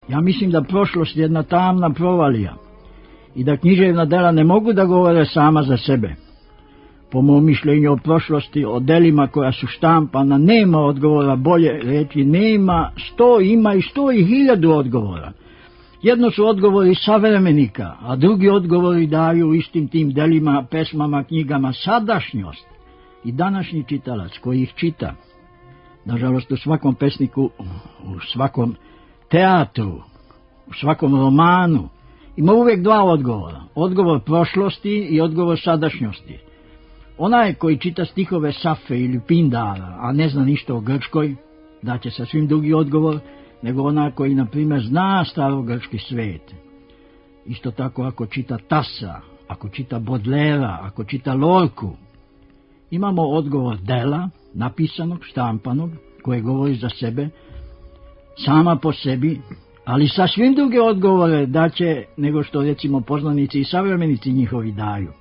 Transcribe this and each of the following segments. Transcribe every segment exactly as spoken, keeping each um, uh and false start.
Ja mislim da prošlost je jedna tamna provalija i da književna dela ne mogu da govore sama za sebe. Po mom mišljenju o prošlosti, o delima koja su štampana, nema odgovora, bolje reći nema, sto ima i sto i hiljadu odgovora. Jedno su odgovori savremenika, a drugi odgovori daju istim tim delima, pesmama, knjigama sadašnjost i današnji čitalac koji ih čita. Nažalost, u svakom pesniku, u svakom teatru, u svakom romanu ima uvijek dva odgovora. Odgovor prošlosti i odgovor sadašnjosti. Onaj koji čita stihove Safe ili Pindara, a ne zna ništa o Grčkoj, daće sasvim drugi odgovor nego onaj koji, na primjer, zna starogrčki svet. Isto tako ako čita Tasa, ako čita Bodlera, ako čita Lorku. Imamo odgovor dela, napisanog, štampanog, koje govori za sebe, sama po sebi, ali sasvim druge odgovore daće nego što, recimo, poznanici i savremenici njihovi daju.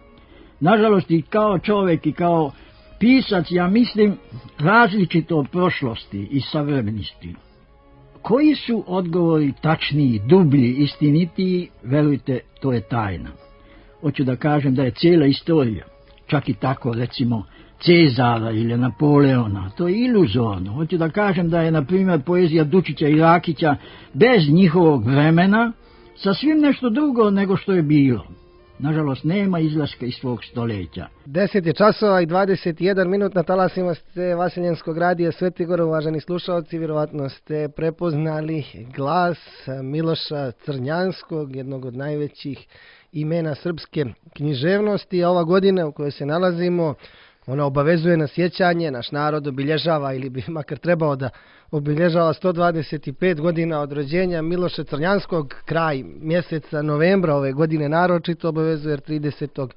Nažalost, i kao čovjek i kao pisac, ja mislim, različito od prošlosti i savremenosti. Koji su odgovori tačniji, dublji, istinitiji, verujte, to je tajna. Hoću da kažem da je cijela istorija, čak i tako, recimo, Cezara ili Napoleona, to je iluzorno. Hoću da kažem da je, na primjer, poezija Dučića i Rakića bez njihovog vremena sasvim nešto drugo nego što je bilo. Nažalost, nema izlaska iz svog stoljeća. deset je časova i dvadeset jedan minut, na talasima ste Vaseljenskog radija Sveti Gor. Uvaženi slušalci, vjerovatno ste prepoznali glas Miloša Crnjanskog, jednog od najvećih imena srpske književnosti. A ova godina u kojoj se nalazimo, ona obavezuje na sjećanje, naš narod obilježava, ili bi makar trebao da obilježava, sto dvadeset pet godina od rođenja Miloša Crnjanskog. Kraj mjeseca novembra ove godine naročito obavezuje, jer tridesetog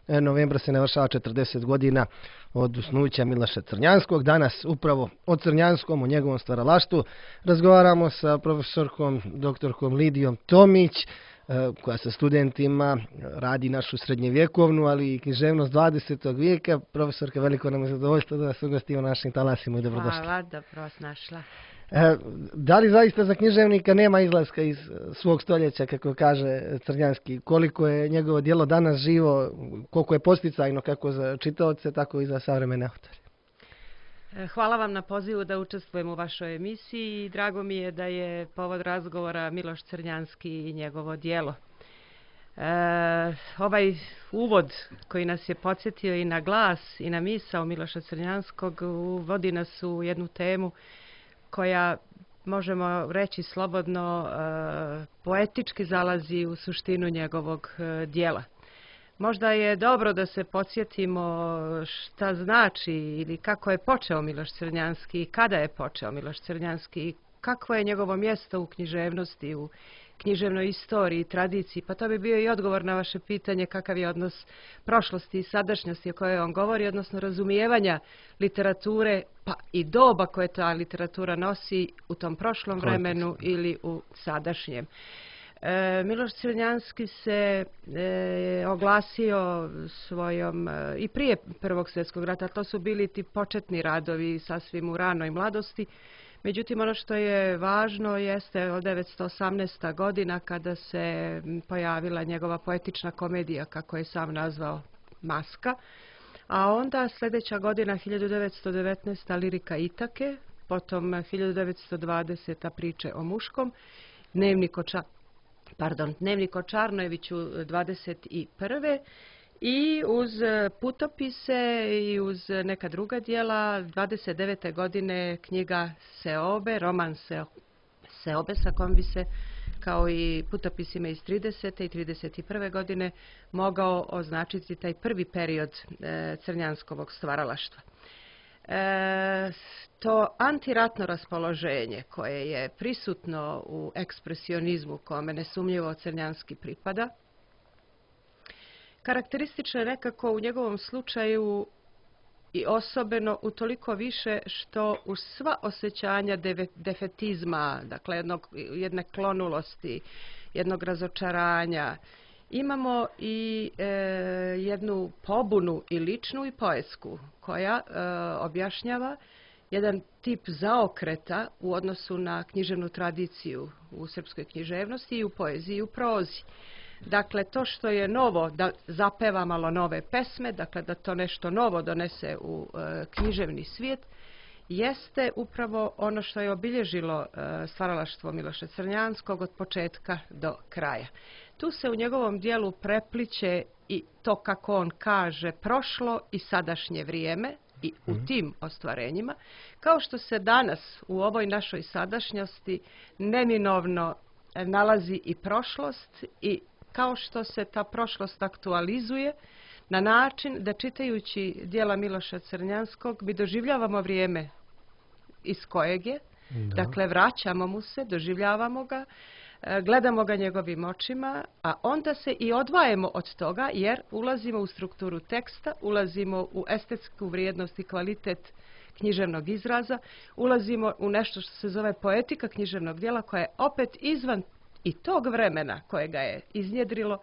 novembra se navršava četrdeset godina od usnuća Miloša Crnjanskog. Danas upravo o Crnjanskom, o njegovom stvaralaštvu, razgovaramo sa profesorkom doktorkom Lidijom Tomić, koja sa studentima radi našu srednjevjekovnu, ali i književnost dvadesetog vijeka. Profesorka, veliko nam je zadovoljstvo da vas ugostimo u našim talasima i dobrodošli. Hvala, dobro vas našla. E, da li zaista za književnika nema izlaska iz svog stoljeća, kako kaže Crnjanski? Koliko je njegovo djelo danas živo, koliko je posticajno kako za čitaoce, tako i za savremene autore? Hvala vam na pozivu da učestvujem u vašoj emisiji i drago mi je da je povod razgovora Miloš Crnjanski i njegovo djelo. E, ovaj uvod koji nas je podsjetio i na glas i na misao Miloša Crnjanskog vodi nas u jednu temu koja, možemo reći slobodno, e, poetički zalazi u suštinu njegovog e, djela. Možda je dobro da se podsjetimo šta znači ili kako je počeo Miloš Crnjanski i kada je počeo Miloš Crnjanski i kakvo je njegovo mjesto u književnosti, u književnoj istoriji, tradiciji. Pa to bi bio i odgovor na vaše pitanje kakav je odnos prošlosti i sadašnjosti o kojoj on govori, odnosno razumijevanja literature, pa i doba koje ta literatura nosi u tom prošlom vremenu ili u sadašnjem. E, Miloš Crnjanski se e, oglasio svojom e, i prije Prvog svjetskog rata, to su bili ti početni radovi sasvim u ranoj mladosti. Međutim, ono što je važno jeste od devetsto osamnaesta godina kada se pojavila njegova poetična komedija, kako je sam nazvao, Maska. A onda sljedeća godina hiljadu devetsto devetnaesta Lirika Itake, potom hiljadu devetsto dvadeseta Priče o muškom, Dnevnik o ča Pardon, Dnevnik o Čarnojeviću dvadeset prve i uz putopise i uz neka druga djela dvadeset devete godine knjiga Seobe, roman Seobe, sa kojom bi se, kao i putopisima iz tridesete i trideset prve godine, mogao označiti taj prvi period e, Crnjanskovog stvaralaštva. E, to antiratno raspoloženje koje je prisutno u ekspresionizmu, kome nesumnjivo Crnjanski pripada, karakteristično je nekako u njegovom slučaju i osobeno utoliko više što uz sva osjećanja defetizma, dakle jednog, jedne klonulosti, jednog razočaranja, imamo i e, jednu pobunu i ličnu i poetsku koja e, objašnjava jedan tip zaokreta u odnosu na književnu tradiciju u srpskoj književnosti i u poeziji i u prozi. Dakle, to što je novo, da zapeva malo nove pesme, dakle da to nešto novo donese u e, književni svijet, jeste upravo ono što je obilježilo e, stvaralaštvo Miloša Crnjanskog od početka do kraja. Tu se u njegovom dijelu prepliće i to, kako on kaže, prošlo i sadašnje vrijeme i u tim ostvarenjima, kao što se danas u ovoj našoj sadašnjosti neminovno nalazi i prošlost i kao što se ta prošlost aktualizuje na način da čitajući djela Miloša Crnjanskog mi doživljavamo vrijeme iz kojeg je, da. Dakle vraćamo mu se, doživljavamo ga, gledamo ga njegovim očima, a onda se i odvajemo od toga jer ulazimo u strukturu teksta, ulazimo u estetsku vrijednost i kvalitet književnog izraza, ulazimo u nešto što se zove poetika književnog djela koja je opet izvan i tog vremena koje ga je iznjedrilo,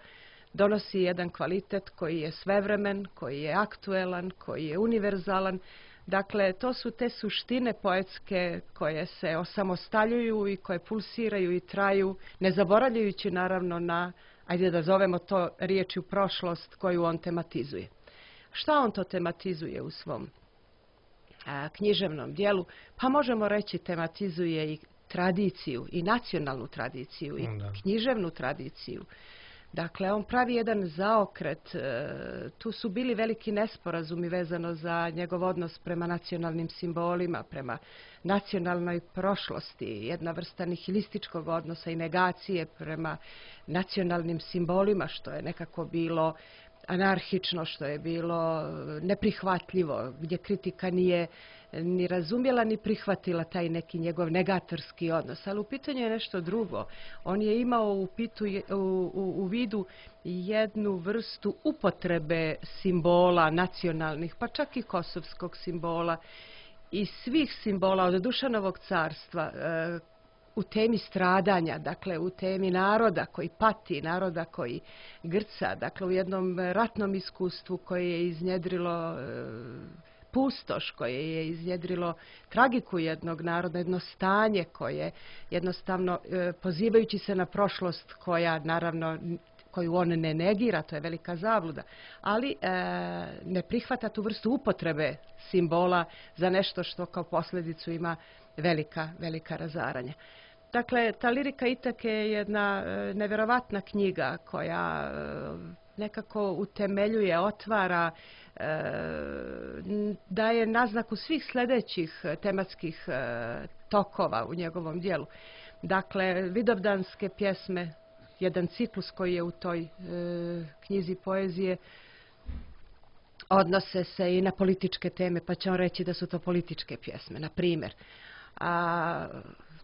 donosi jedan kvalitet koji je svevremen, koji je aktuelan, koji je univerzalan. Dakle, to su te suštine poetske koje se osamostaljuju i koje pulsiraju i traju, ne zaboravljajući naravno na, ajde da zovemo to riječju prošlost koju on tematizuje. Šta on to tematizuje u svom a, književnom dijelu? Pa možemo reći tematizuje i tradiciju, i nacionalnu tradiciju, i da. književnu tradiciju. Dakle, on pravi jedan zaokret. Tu su bili veliki nesporazumi vezano za njegov odnos prema nacionalnim simbolima, prema nacionalnoj prošlosti, jedna vrsta nihilističkog odnosa i negacije prema nacionalnim simbolima, što je nekako bilo anarhično, što je bilo neprihvatljivo, gdje kritika nije ni razumjela ni prihvatila taj neki njegov negatorski odnos. Ali u pitanju je nešto drugo. On je imao u, pitu, u, u, u vidu jednu vrstu upotrebe simbola nacionalnih, pa čak i kosovskog simbola i svih simbola od Dušanovog carstva, e, u temi stradanja, dakle u temi naroda koji pati, naroda koji grca, dakle u jednom ratnom iskustvu koje je iznjedrilo e, pustoš, koje je iznjedrilo tragiku jednog naroda, jedno stanje koje jednostavno e, pozivajući se na prošlost koja naravno koju on ne negira, to je velika zabluda, ali e, ne prihvata tu vrstu upotrebe simbola za nešto što kao posljedicu ima velika, velika razaranja. Dakle, ta lirika Itake je jedna e, nevjerovatna knjiga koja e, nekako utemeljuje, otvara, e, daje naznaku svih sljedećih tematskih e, tokova u njegovom dijelu. Dakle, vidovdanske pjesme, jedan ciklus koji je u toj e, knjizi poezije, odnose se i na političke teme, pa će on reći da su to političke pjesme, na primjer. A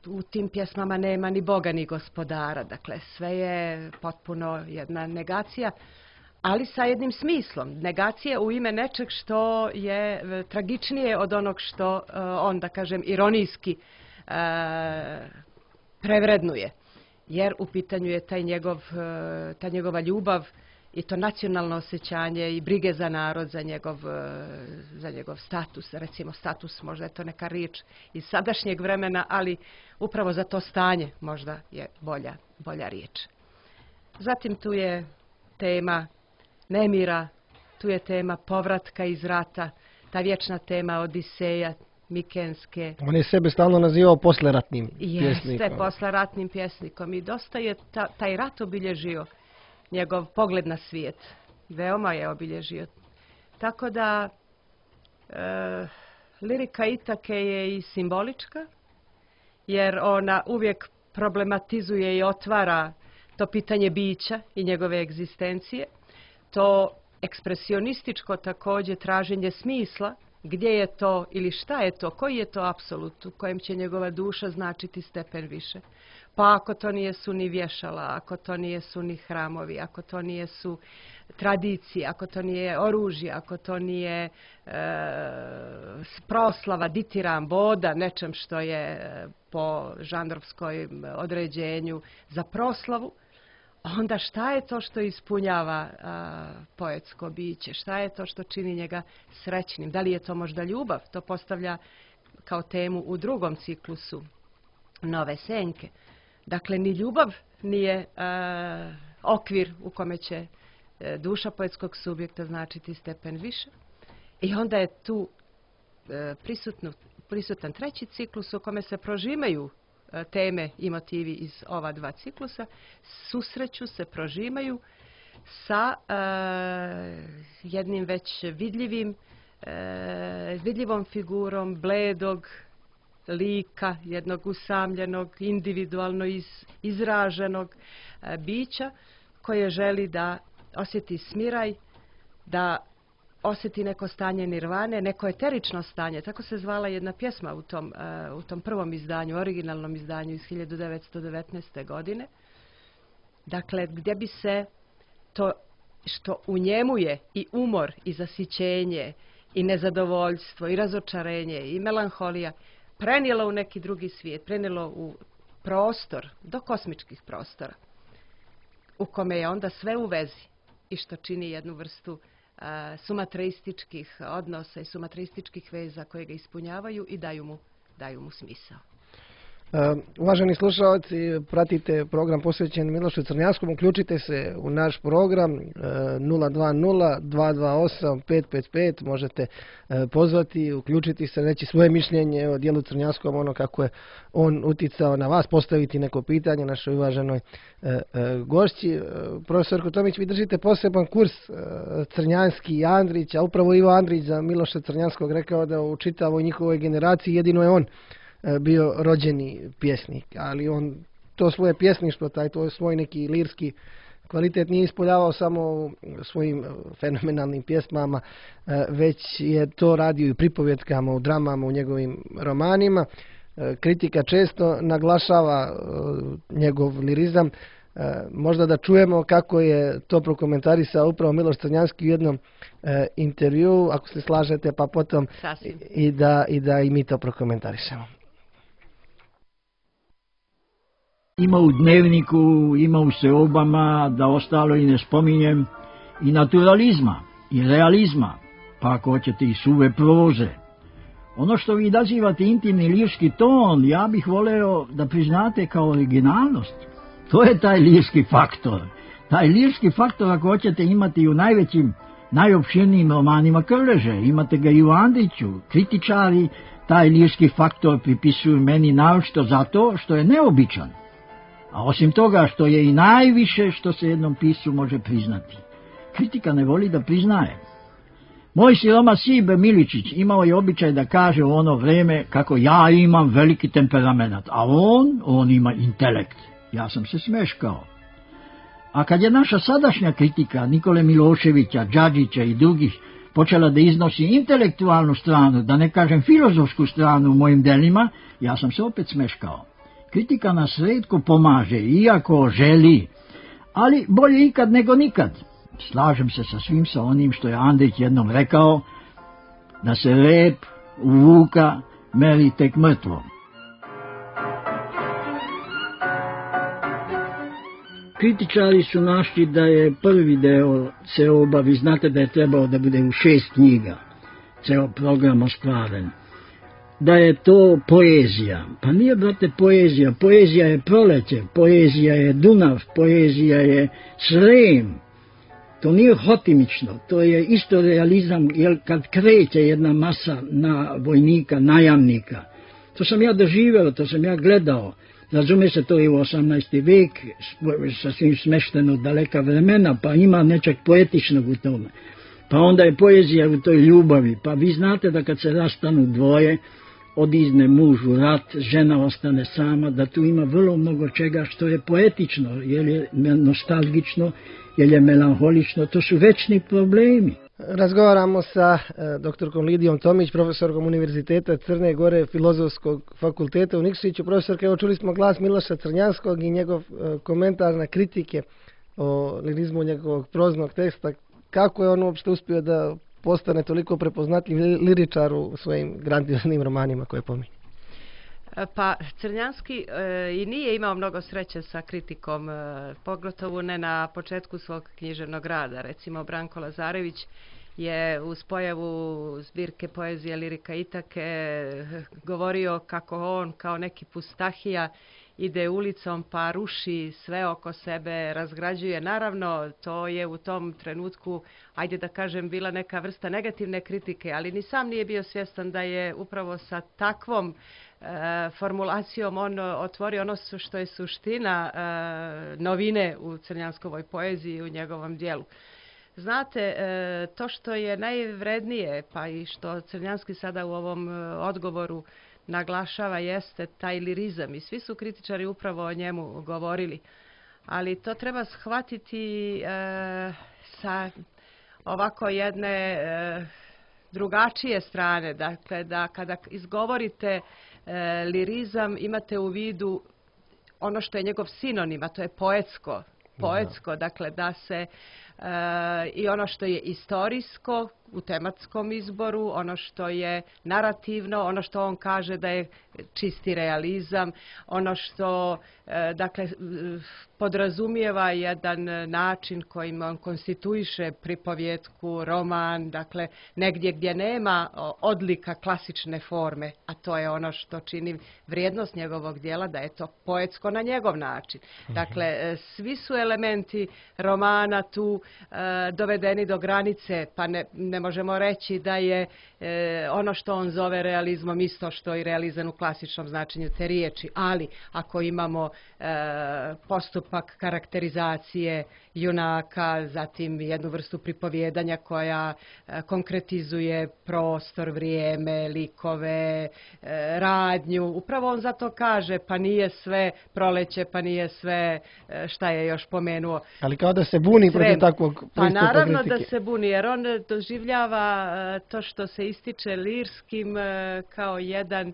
u tim pjesmama nema ni Boga ni gospodara, dakle sve je potpuno jedna negacija, ali sa jednim smislom. Negacija u ime nečeg što je tragičnije od onog što uh, on, da kažem, ironijski uh, prevrednuje. Jer u pitanju je taj njegov, uh, ta njegova ljubav i to nacionalno osjećanje i brige za narod, za njegov, za njegov status, recimo status, možda je to neka riječ iz sadašnjeg vremena, ali upravo za to stanje možda je bolja, bolja riječ. Zatim tu je tema nemira, tu je tema povratka iz rata, ta vječna tema Odiseja, Mikenske. On je sebe stalno nazivao posleratnim pjesnikom. Jeste, posleratnim pjesnikom i dosta je ta, taj rat obilježio njegov pogled na svijet. Veoma je obilježio. Tako da e, lirika Itake je i simbolička, jer ona uvijek problematizuje i otvara to pitanje bića i njegove egzistencije. To ekspresionističko također traženje smisla, gdje je to ili šta je to, koji je to apsolut u kojem će njegova duša značiti stepen više. Pa ako to nije su ni vješala, ako to nije su ni hramovi, ako to nije su tradicije, ako to nije oružje, ako to nije e, proslava, ditiram, boda, nečem što je po žanrovskom određenju za proslavu, onda šta je to što ispunjava a, poetsko biće? Šta je to što čini njega srećnim? Da li je to možda ljubav? To postavlja kao temu u drugom ciklusu Nove senke. Dakle, ni ljubav nije e, okvir u kome će e, duša poetskog subjekta značiti stepen više. I onda je tu e, prisutno, prisutan treći ciklus u kome se prožimaju e, teme i motivi iz ova dva ciklusa, susreću se, prožimaju sa e, jednim već vidljivim, e, vidljivom figurom bledog lika, jednog usamljenog, individualno iz, izraženog e, bića koje želi da osjeti smiraj, da osjeti neko stanje nirvane, neko eterično stanje. Tako se zvala jedna pjesma u tom, uh, u tom prvom izdanju, originalnom izdanju iz hiljadu devetsto devetnaeste. godine. Dakle, gdje bi se to što u njemu je i umor, i zasićenje, i nezadovoljstvo, i razočarenje, i melanholija, prenijelo u neki drugi svijet, prenijelo u prostor, do kosmičkih prostora, u kome je onda sve u vezi i što čini jednu vrstu uh, sumatreističkih odnosa i sumatreističkih veza koje ga ispunjavaju i daju mu, daju mu smisao. Uh, uvaženi slušalci, pratite program posvećen Milošu Crnjanskom, uključite se u naš program uh, nula dva nula dva dva osam pet pet pet, možete uh, pozvati, uključiti se, reći svoje mišljenje o dijelu Crnjanskom, ono kako je on uticao na vas, postaviti neko pitanje našoj uvaženoj uh, uh, gošći. Uh, profesor Tomić, vi držite poseban kurs uh, Crnjanski i Andrić, a upravo Ivo Andrić za Miloša Crnjanskog rekao da u čitavoj njihovoj generaciji jedino je on bio rođeni pjesnik, ali on to svoje pjesništvo, taj to svoj neki lirski kvalitet nije ispoljavao samo svojim fenomenalnim pjesmama, već je to radio i pripovjetkama, u dramama, u njegovim romanima. Kritika često naglašava njegov lirizam. Možda da čujemo kako je to prokomentarisao upravo Miloš Crnjanski u jednom intervjuu, ako se slažete, pa potom i da, i da i mi to prokomentarišemo. Ima u dnevniku, ima u seobama, da ostalo i ne spominjem, i naturalizma, i realizma, pa ako hoćete i suve proze. Ono što vi nazivate intimni lirski ton, ja bih voleo da priznate kao originalnost. To je taj lirski faktor. Taj lirski faktor, ako hoćete, imati i u najvećim, najopširnijim romanima Krleže. Imate ga i u Andriću. Kritičari taj lirski faktor pripisuju meni naročito zato što je neobičan. A osim toga što je i najviše što se jednom piscu može priznati. Kritika ne voli da priznaje. Moj siroma Sibe Miličić imao je običaj da kaže u ono vrijeme kako ja imam veliki temperament, a on, on ima intelekt. Ja sam se smeškao. A kad je naša sadašnja kritika Nikole Miloševića, Đađića i drugih počela da iznosi intelektualnu stranu, da ne kažem filozofsku stranu u mojim delima, ja sam se opet smeškao. Kritika nas rijetko pomaže, iako želi, ali bolje ikad nego nikad. Slažem se sa svim sa onim što je Andrić jednom rekao, da se rep u vuka meri tek mrtvom. Kritičari su našli da je prvi deo seoba, vi znate da je trebao da bude u šest knjiga, ceo program ostvaren, da je to poezija. Pa nije, brate, poezija. Poezija je proleće, poezija je Dunav, poezija je Srem. To nije hotimično, to je isto realizam, jer kad kreće jedna masa na vojnika, najamnika. To sam ja doživeo, to sam ja gledao. Razume se, to je u osamnaesti vek, sasvim smešteno daleka vremena, pa ima nečeg poetičnog u tome. Pa onda je poezija u toj ljubavi, pa vi znate da kad se rastanu dvoje, odizne muž u rat, žena ostane sama, da tu ima vrlo mnogo čega što je poetično, jer je nostalgično, jer je melanholično, to su večni problemi. Razgovaramo sa e, doktorkom Lidijom Tomić, profesorkom Univerziteta Crne Gore, Filozofskog fakulteta u Nikšiću. Profesorka, evo čuli smo glas Miloša Crnjanskog i njegov e, komentar na kritike o lirizmu njegovog proznog teksta. Kako je on uopšte uspio da postane toliko prepoznatljiv liričar u svojim grandioznim romanima koje pominje? Pa Crnjanski e, i nije imao mnogo sreće sa kritikom, e, pogotovo ne na početku svog književnog rada. Recimo Branko Lazarević je uz pojavu zbirke poezije Lirika Itake govorio kako on kao neki pustahija ide ulicom pa ruši sve oko sebe, razgrađuje. Naravno, to je u tom trenutku, ajde da kažem, bila neka vrsta negativne kritike, ali ni sam nije bio svjestan da je upravo sa takvom e, formulacijom on otvorio ono što je suština e, novine u crnjanskovoj poeziji i u njegovom dijelu. Znate, e, to što je najvrednije, pa i što Crnjanski sada u ovom e, odgovoru naglašava, jeste taj lirizam i svi su kritičari upravo o njemu govorili. Ali to treba shvatiti e, sa ovako jedne e, drugačije strane. Dakle, da kada izgovorite e, lirizam imate u vidu ono što je njegov sinonim, a to je poetsko. Poetsko, dakle da se e, i ono što je istorijsko u tematskom izboru, ono što je narativno, ono što on kaže da je čisti realizam, ono što e, dakle podrazumijeva jedan način kojim on konstituiše pripovjetku, roman, dakle negdje gdje nema odlika klasične forme, a to je ono što čini vrijednost njegovog dijela, da je to poetsko na njegov način. Dakle, svi su elementi romana tu e, dovedeni do granice, pa ne, ne možemo reći da je e, ono što on zove realizmom isto što i realizam u klasičnom značenju te riječi, ali ako imamo e, postupak karakterizacije junaka, zatim jednu vrstu pripovjedanja koja e, konkretizuje prostor, vrijeme, likove, e, radnju, upravo on zato kaže pa nije sve proleće, pa nije sve e, šta je još pomenuo. Ali kao da se buni protiv takvog pristupa Pa naravno kritike. da se buni, jer on doživljava to što se ističe lirskim kao jedan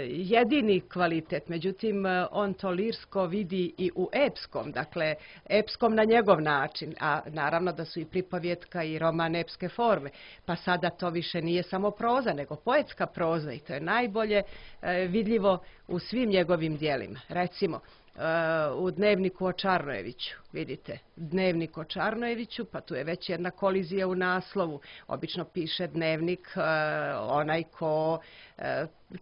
jedini kvalitet. Međutim, on to lirsko vidi i u epskom, dakle epskom na njegov način, a naravno da su i pripovjetka i roman epske forme. Pa sada to više nije samo proza, nego poetska proza i to je najbolje vidljivo u svim njegovim djelima. Recimo, u Dnevniku o Čarnojeviću, vidite, Dnevnik o Čarnojeviću, pa tu je već jedna kolizija u naslovu. Obično piše dnevnik onaj ko,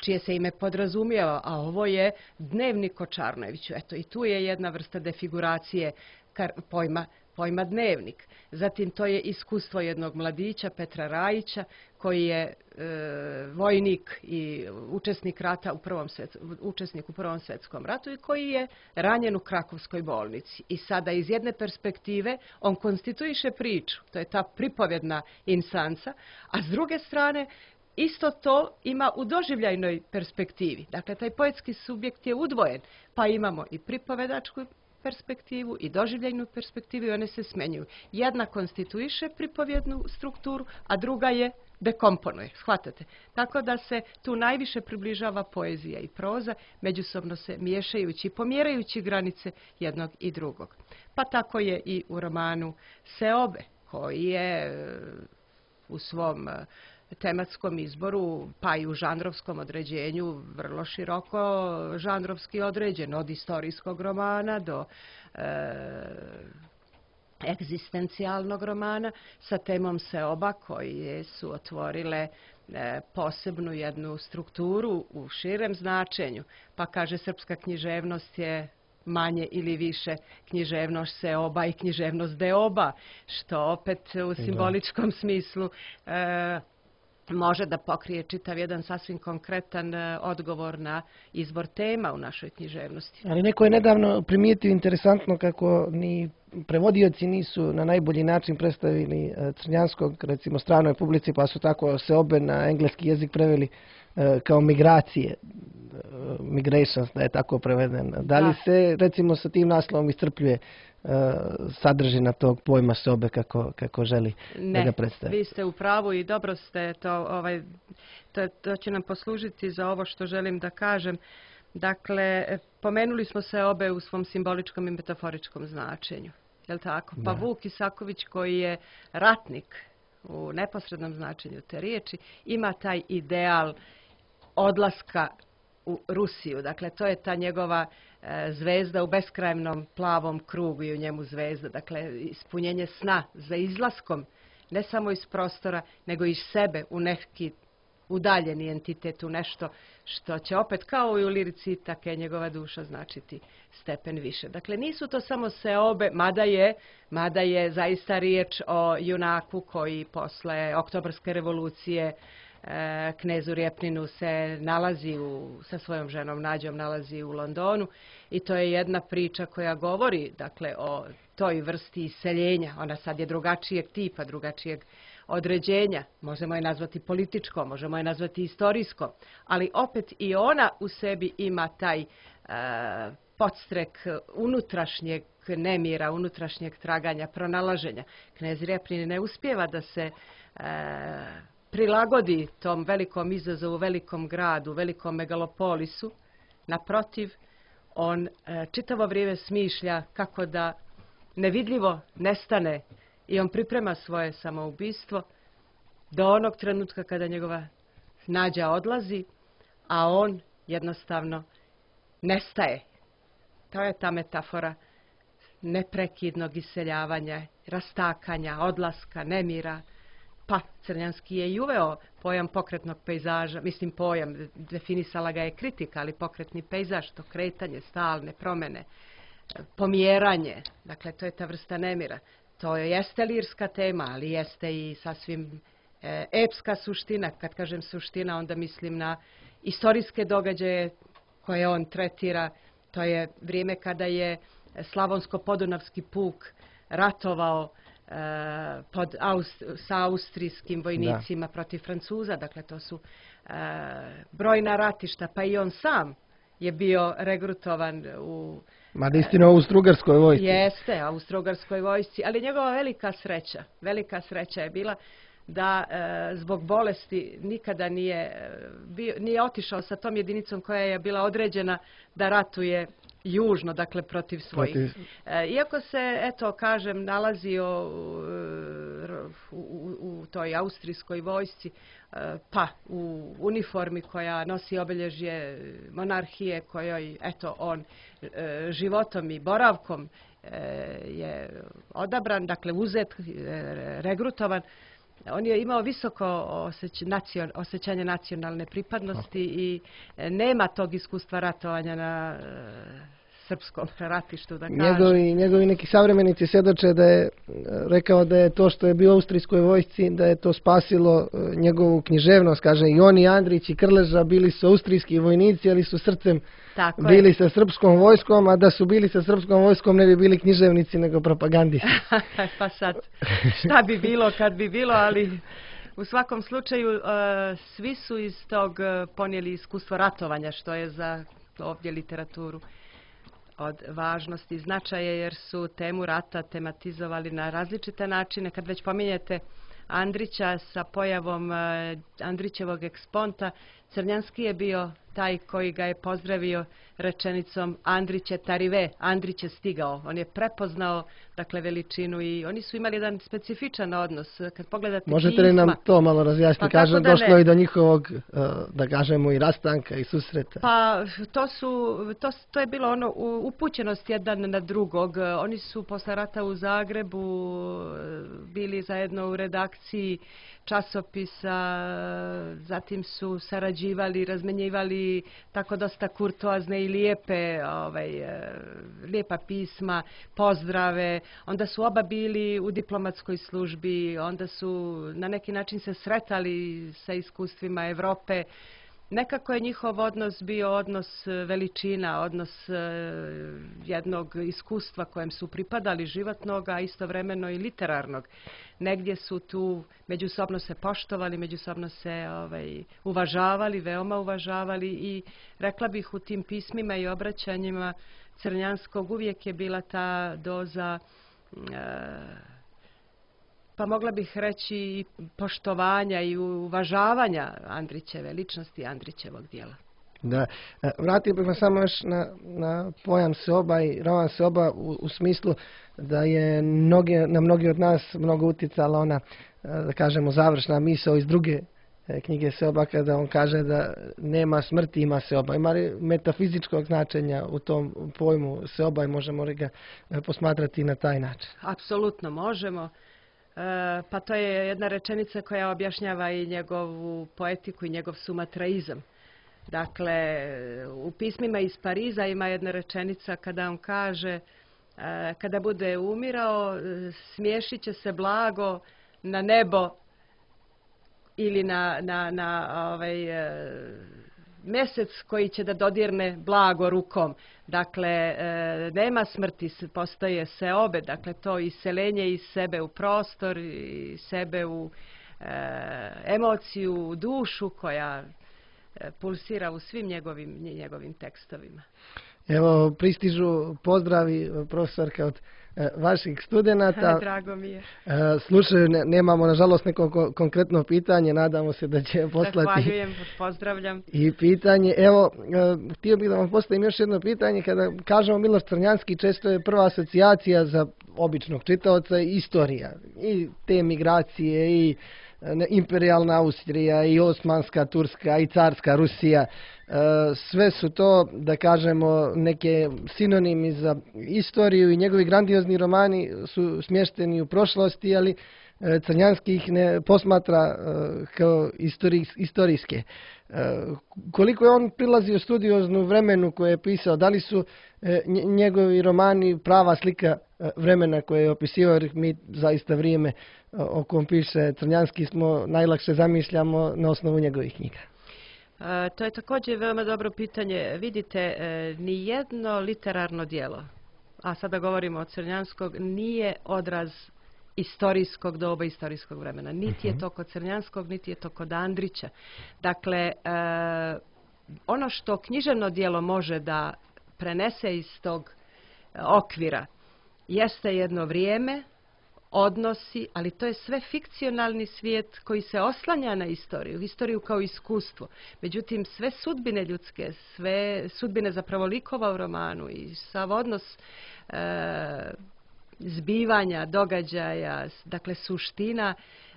čije se ime podrazumijeva, a ovo je Dnevnik o Čarnojeviću. Eto, i tu je jedna vrsta defiguracije pojma, pojma dnevnik. Zatim to je iskustvo jednog mladića, Petra Rajića, koji je e, vojnik i učesnik rata u prvom svjet, učesnik u Prvom svjetskom ratu i koji je ranjen u Krakovskoj bolnici. I sada iz jedne perspektive on konstituiše priču, to je ta pripovjedna instanca, a s druge strane isto to ima u doživljajnoj perspektivi. Dakle, taj poetski subjekt je udvojen, pa imamo i pripovedačku perspektivu i doživljajnu perspektivu i one se smenjuju. Jedna konstituiše pripovjednu strukturu, a druga je dekomponuje, shvatate. Tako da se tu najviše približava poezija i proza, međusobno se miješajući, pomjerajući granice jednog i drugog. Pa tako je i u romanu Seobe, koji je u svom tematskom izboru, pa i u žanrovskom određenju, vrlo široko žanrovski određen, od istorijskog romana do e, egzistencijalnog romana sa temom Seoba, koje su otvorile e, posebnu jednu strukturu u širem značenju. Pa kaže, srpska književnost je manje ili više književnost Seoba i književnost Deoba, što opet u simboličkom smislu e, može da pokrije čitav jedan sasvim konkretan odgovor na izbor tema u našoj književnosti. Ali neko je nedavno primijetio interesantno kako ni prevodioci nisu na najbolji način predstavili Crnjanskog, recimo, stranoj publici, pa su tako Seobe na engleski jezik preveli kao migracije, migrations, da je tako preveden. Da li se, recimo, sa tim naslovom iscrpljuje sadržina tog pojma Seobe kako, kako želi ne, da ga predstavi? Ne, vi ste u pravu i dobro ste to, ovaj, to, to će nam poslužiti za ovo što želim da kažem. Dakle, pomenuli smo Seobe u svom simboličkom i metaforičkom značenju. Je li tako? Da. Pa Vuk Isaković, koji je ratnik u neposrednom značenju te riječi, ima taj ideal odlaska u Rusiju. Dakle, to je ta njegova e, zvezda u beskrajnom plavom krugu i u njemu zvezda. Dakle, ispunjenje sna za izlaskom ne samo iz prostora, nego iz sebe u neki udaljeni entitet, u nešto što će opet kao i u lirici, tako je njegova duša značiti stepen više. Dakle, nisu to samo seobe, mada je, mada je zaista riječ o junaku koji posle Oktobarske revolucije e, knezu Rjepninu se nalazi u, sa svojom ženom Nađom nalazi u Londonu i to je jedna priča koja govori, dakle, o toj vrsti iseljenja. Ona sad je drugačijeg tipa, drugačijeg određenja, možemo je nazvati političko, možemo je nazvati istorijsko, ali opet i ona u sebi ima taj e, podstrek unutrašnjeg nemira, unutrašnjeg traganja, pronalaženja. Knez Rjepnin ne uspijeva da se e, prilagodi tom velikom izazovu, velikom gradu, velikom megalopolisu. Naprotiv, on e, čitavo vrijeme smišlja kako da nevidljivo nestane i on priprema svoje samoubistvo do onog trenutka kada njegova Nađa odlazi, a on jednostavno nestaje. To je ta metafora neprekidnog iseljavanja, rastakanja, odlaska, nemira. Pa Crnjanski je i uveo pojam pokretnog pejzaža, mislim pojam, definisala ga je kritika, ali pokretni pejzaž, to kretanje, stalne promjene, pomjeranje, dakle to je ta vrsta nemira. To jeste lirska tema, ali jeste i sasvim e, epska suština. Kad kažem suština, onda mislim na istorijske događaje koje on tretira. To je vrijeme kada je Slavonsko-podunavski puk ratovao e, pod Aust sa austrijskim vojnicima da. protiv Francuza. Dakle, to su e, brojna ratišta, pa i on sam je bio regrutovan u... Mada istino u Austro-Ugarskoj vojsci. Jeste, Austro-Ugarskoj vojsci, ali njegova velika sreća, velika sreća je bila da e, zbog bolesti nikada nije, bio, nije otišao sa tom jedinicom koja je bila određena da ratuje južno, dakle protiv svojih. Protiv... E, iako se, eto, kažem, nalazio u, u, u toj austrijskoj vojsci, e, pa u uniformi koja nosi obilježje monarhije, kojoj, eto, on e, životom i boravkom e, je odabran, dakle uzet, e, regrutovan. On je imao visoko osjeć, nacion, osjećanje nacionalne pripadnosti i nema tog iskustva ratovanja na e, srpskom ratištu, da kažem. Njegovi, njegovi neki savremenici svjedoče da je rekao da je to što je bio u austrijskoj vojsci, da je to spasilo njegovu književnost. Kaže, i on i Andrić i Krleža bili su austrijski vojnici, ali su srcem Tako bili je. sa srpskom vojskom, a da su bili sa srpskom vojskom ne bi bili književnici nego propagandisti. Pa sad, šta bi bilo kad bi bilo, ali u svakom slučaju uh, svi su iz tog ponijeli iskustvo ratovanja, što je za ovdje literaturu od važnosti i značaja, jer su temu rata tematizovali na različite načine. Kad već pominjete Andrića, sa pojavom uh, Andrićevog eksponta, Crnjanski je bio taj koji ga je pozdravio rečenicom Andrić je tarive, Andrić je stigao. On je prepoznao, dakle, veličinu i oni su imali jedan specifičan odnos. Kad pogledate Možete pisma, li nam to malo razjasniti? Pa Kaže, da došlo ne. i do njihovog, da kažemo, i rastanka i susreta. Pa to su, to, to je bilo ono upućenost jedan na drugog. Oni su posle rata u Zagrebu bili zajedno u redakciji časopisa, zatim su sarađivali, razmenjivali tako dosta kurtoazne i lijepe, ovaj, lijepa pisma, pozdrave. Onda su oba bili u diplomatskoj službi, onda su na neki način se sretali sa iskustvima Evrope. Nekako je njihov odnos bio odnos veličina, odnos uh, jednog iskustva kojem su pripadali životnog, a istovremeno i literarnog. Negdje su tu međusobno se poštovali, međusobno se ovaj, uvažavali, veoma uvažavali i rekla bih u tim pismima i obraćanjima Crnjanskog uvijek je bila ta doza uh, pa mogla bih reći i poštovanja i uvažavanja Andrićeve ličnosti, Andrićevog dijela. Da, vratio bih me samo još na, na pojam seoba i roman seoba u, u smislu da je mnoge, na mnogi od nas mnogo utjecala ona, da kažemo, završna misao iz druge knjige seoba kada on kaže da nema smrti, ima seoba. Ima li metafizičkog značenja u tom pojmu seoba i možemo li ga posmatrati na taj način? Apsolutno možemo. pa to je jedna rečenica koja objašnjava i njegovu poetiku i njegov sumatraizam. Dakle, u pismima iz Pariza ima jedna rečenica kada on kaže kada bude umirao, smiješit će se blago na nebo ili na, na, na ovaj, mjesec koji će da dodirne blago rukom. Dakle, nema smrti, postoje seobe, dakle to iseljenje iz sebe u prostor, iz sebe u emociju, u dušu koja pulsira u svim njegovim, njegovim tekstovima. Evo, pristižu pozdravi, profesorka, od e, vaših studenata. Drago mi je. E, slušaju, ne, nemamo nažalost neko ko, konkretno pitanje, nadamo se da će poslati. Zahvaljujem, pozdravljam. I pitanje, evo, e, htio bih da vam postavim još jedno pitanje. Kada kažemo Miloš Crnjanski, često je prva asocijacija za običnog čitaoca istorija. I te migracije, i imperijalna Austrija, i osmanska Turska, i carska Rusija. Sve su to, da kažemo, neke sinonimi za istoriju i njegovi grandiozni romani su smješteni u prošlosti, ali Crnjanski ih ne posmatra kao istorijske. Koliko je on prilazio studioznu vremenu koje je pisao, da li su njegovi romani prava slika vremena koje je opisivao, jer mi zaista vrijeme o kom piše Crnjanski smo najlakše zamišljamo na osnovu njegovih knjiga. E, to je također veoma dobro pitanje. Vidite, e, ni jedno literarno djelo, a sada govorimo o Crnjanskog, nije odraz istorijskog doba, istorijskog vremena. Niti je to kod Crnjanskog, niti je to kod Andrića. Dakle, e, ono što književno djelo može da prenese iz tog okvira jeste jedno vrijeme, odnosi, ali to je sve fikcionalni svijet koji se oslanja na istoriju, istoriju kao iskustvo. Međutim, sve sudbine ljudske, sve sudbine zapravo likova u romanu i sav odnos e, zbivanja, događaja, dakle suština,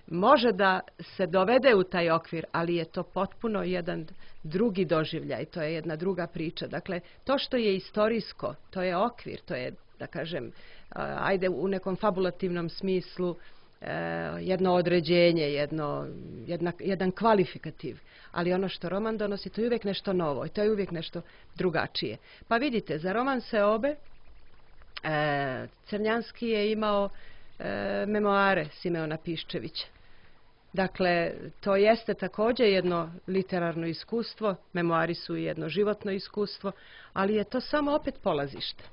može da se dovede u taj okvir, ali je to potpuno jedan drugi doživljaj, to je jedna druga priča. Dakle, to što je istorijsko, to je okvir, to je, da kažem, ajde u nekom fabulativnom smislu jedno određenje, jedno, jedna, jedan kvalifikativ. Ali ono što roman donosi, to je uvijek nešto novo i to je uvijek nešto drugačije. Pa vidite, za roman Seobe Crnjanski je imao memoare Simeona Piščevića. Dakle, to jeste također jedno literarno iskustvo, memoari su jedno životno iskustvo, ali je to samo opet polazište.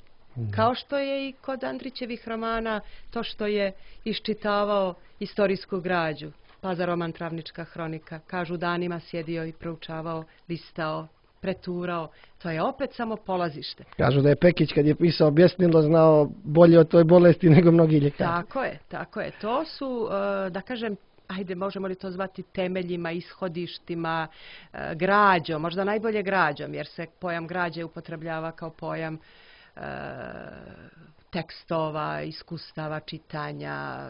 Kao što je i kod Andrićevih romana to što je iščitavao istorijsku građu, pa za roman Travnička hronika, kažu danima sjedio i proučavao, listao, preturao, to je opet samo polazište. Kažu da je Pekić kad je pisao Bjesnilo znao bolje o toj bolesti nego mnogi ljekari. Tako je, tako je. To su, da kažem, ajde, možemo li to zvati temeljima, ishodištima, građom, možda najbolje građom, jer se pojam građe upotrebljava kao pojam tekstova, iskustava, čitanja,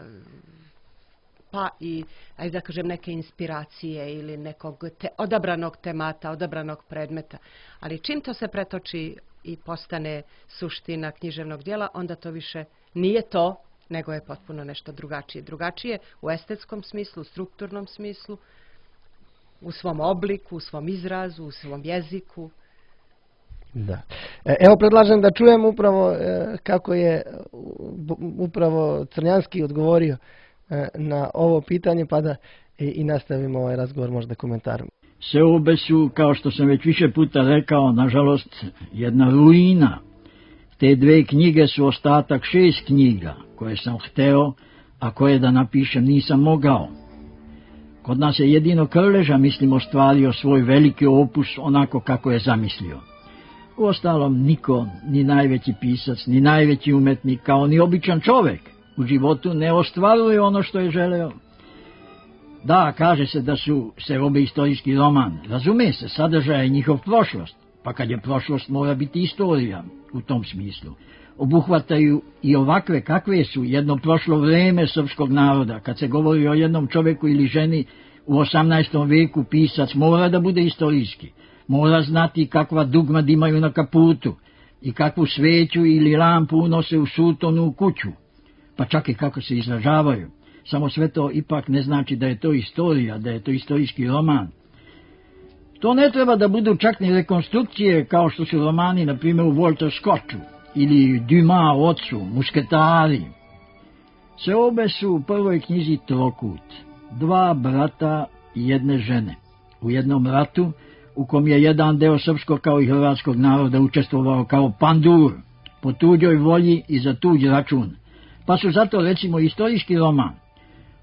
pa i, ajde da kažem, neke inspiracije ili nekog te, odabranog temata, odabranog predmeta. Ali čim to se pretoči i postane suština književnog djela, onda to više nije to, nego je potpuno nešto drugačije. Drugačije u estetskom smislu, u strukturnom smislu, u svom obliku, u svom izrazu, u svom jeziku. Da. Evo, predlažem da čujem upravo kako je upravo Crnjanski odgovorio na ovo pitanje, pa da i nastavimo ovaj razgovor možda komentarom. Seobe su, kao što sam već više puta rekao, nažalost, jedna ruina. Te dve knjige su ostatak šest knjiga koje sam hteo, a koje da napišem nisam mogao. Kod nas je jedino Krleža, mislim, ostvario svoj veliki opus onako kako je zamislio. Uostalom, niko, ni najveći pisac, ni najveći umetnik, kao ni običan čovjek u životu ne ostvaruje ono što je želeo. Da, kaže se da su Seobe istorijski roman. Razume se, sadržaj je njihov prošlost, pa kad je prošlost mora biti istorija u tom smislu. Obuhvataju i ovakve kakve su jedno prošlo vrijeme srpskog naroda. Kad se govori o jednom čovjeku ili ženi u osamnaestom veku, pisac mora da bude istorijski. Mora znati kakva dugmad imaju na kaputu i kakvu sveću ili lampu unose u sutonu u kuću, pa čak i kako se izražavaju. samo sve to ipak ne znači da je to istorija, da je to istorijski roman. To ne treba da budu čak ni rekonstrukcije kao što su romani, na primjer, u Walter Scottu ili Dumas u Ocu, Mušketari. Sve obe su u prvoj knjizi trokut, dva brata i jedne žene. U jednom ratu, u kom je jedan deo srpskog kao i hrvatskog naroda učestvovao kao pandur, po tuđoj volji i za tuđ račun, pa su zato recimo istorijski roman.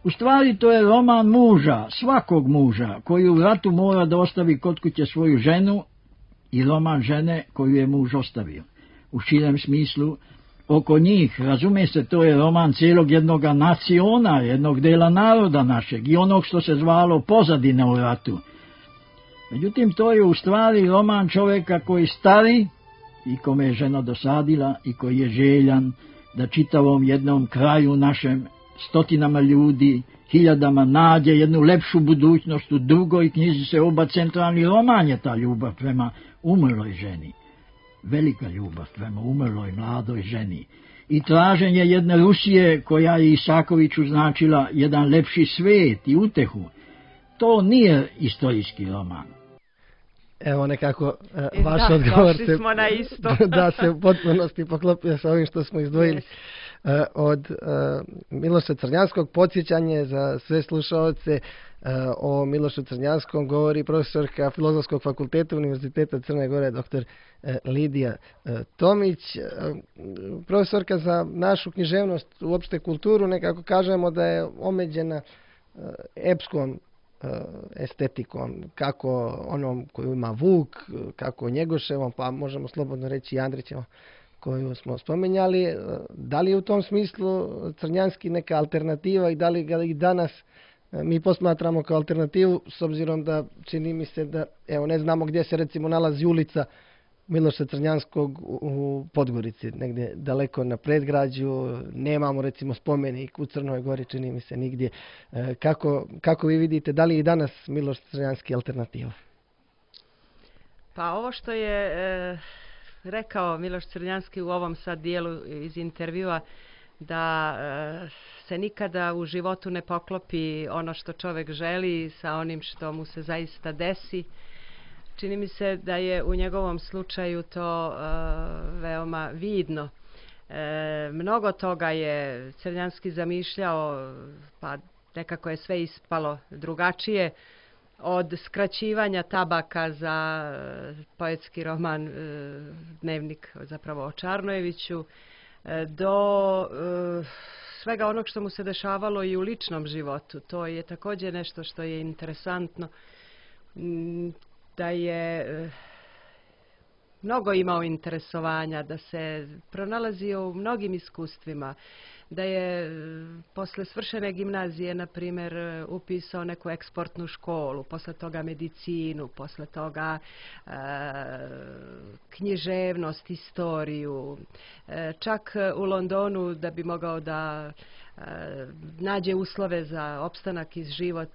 U stvari to je roman muža, svakog muža, koji u ratu mora da ostavi kod kuće svoju ženu, i roman žene koju je muž ostavio. U širem smislu, oko njih, razume se, to je roman cijelog jednog naciona, jednog dela naroda našeg i onog što se zvalo pozadine u ratu. Međutim, to je u stvari roman čovjeka koji stari i kome je žena dosadila i koji je željan da čitavom jednom kraju našem, stotinama ljudi, hiljadama nađe jednu lepšu budućnost. U drugoj knjizi se oba centralni roman je ta ljubav prema umrloj ženi. Velika ljubav prema umrloj mladoj ženi. I traženje jedne Rusije koja je Isakoviću značila jedan lepši svet i utehu. To nije istorijski roman. Evo nekako e, vaš da, odgovor se, smo na isto. da se u potpunosti poklopio sa ovim što smo izdvojili. Yes. E, od e, Miloša Crnjanskog. Podsjećanje za sve slušaoce, e, o Milošu Crnjanskom govori profesorka Filozofskog fakulteta Univerziteta Crne Gore, doktor e, Lidija e, Tomić. E, profesorka za našu književnost, uopšte kulturu, nekako kažemo da je omeđena e, epskom estetikom, kako onom koju ima Vuk, kako Njegoševom, pa možemo slobodno reći i Andrićevom koju smo spomenjali. Da li je u tom smislu Crnjanski neka alternativa i da li ga i danas mi posmatramo kao alternativu, s obzirom da čini mi se da, evo, ne znamo gdje se recimo nalazi ulica Miloša Crnjanskog u Podgorici, negdje daleko na predgrađu, nemamo recimo spomenik u Crnoj Gori, čini mi se nigdje. Kako, kako vi vidite, da li je i danas Miloš Crnjanski alternativa? Pa ovo što je e, rekao Miloš Crnjanski u ovom sad dijelu iz intervjua, da e, se nikada u životu ne poklopi ono što čovjek želi sa onim što mu se zaista desi. Čini mi se da je u njegovom slučaju to uh, veoma vidno. E, mnogo toga je Crnjanski zamišljao, pa nekako je sve ispalo drugačije. Od skraćivanja tabaka za uh, poetski roman uh, Dnevnik, zapravo o Čarnojeviću, uh, do uh, svega onog što mu se dešavalo i u ličnom životu. To je također nešto što je interesantno. Mm, da je mnogo imao interesovanja, da se pronalazio u mnogim iskustvima, da je posle svršene gimnazije, na primjer, upisao neku eksportnu školu, posle toga medicinu, posle toga e, književnost, historiju, e, čak u Londonu da bi mogao da nađe uslove za opstanak i život,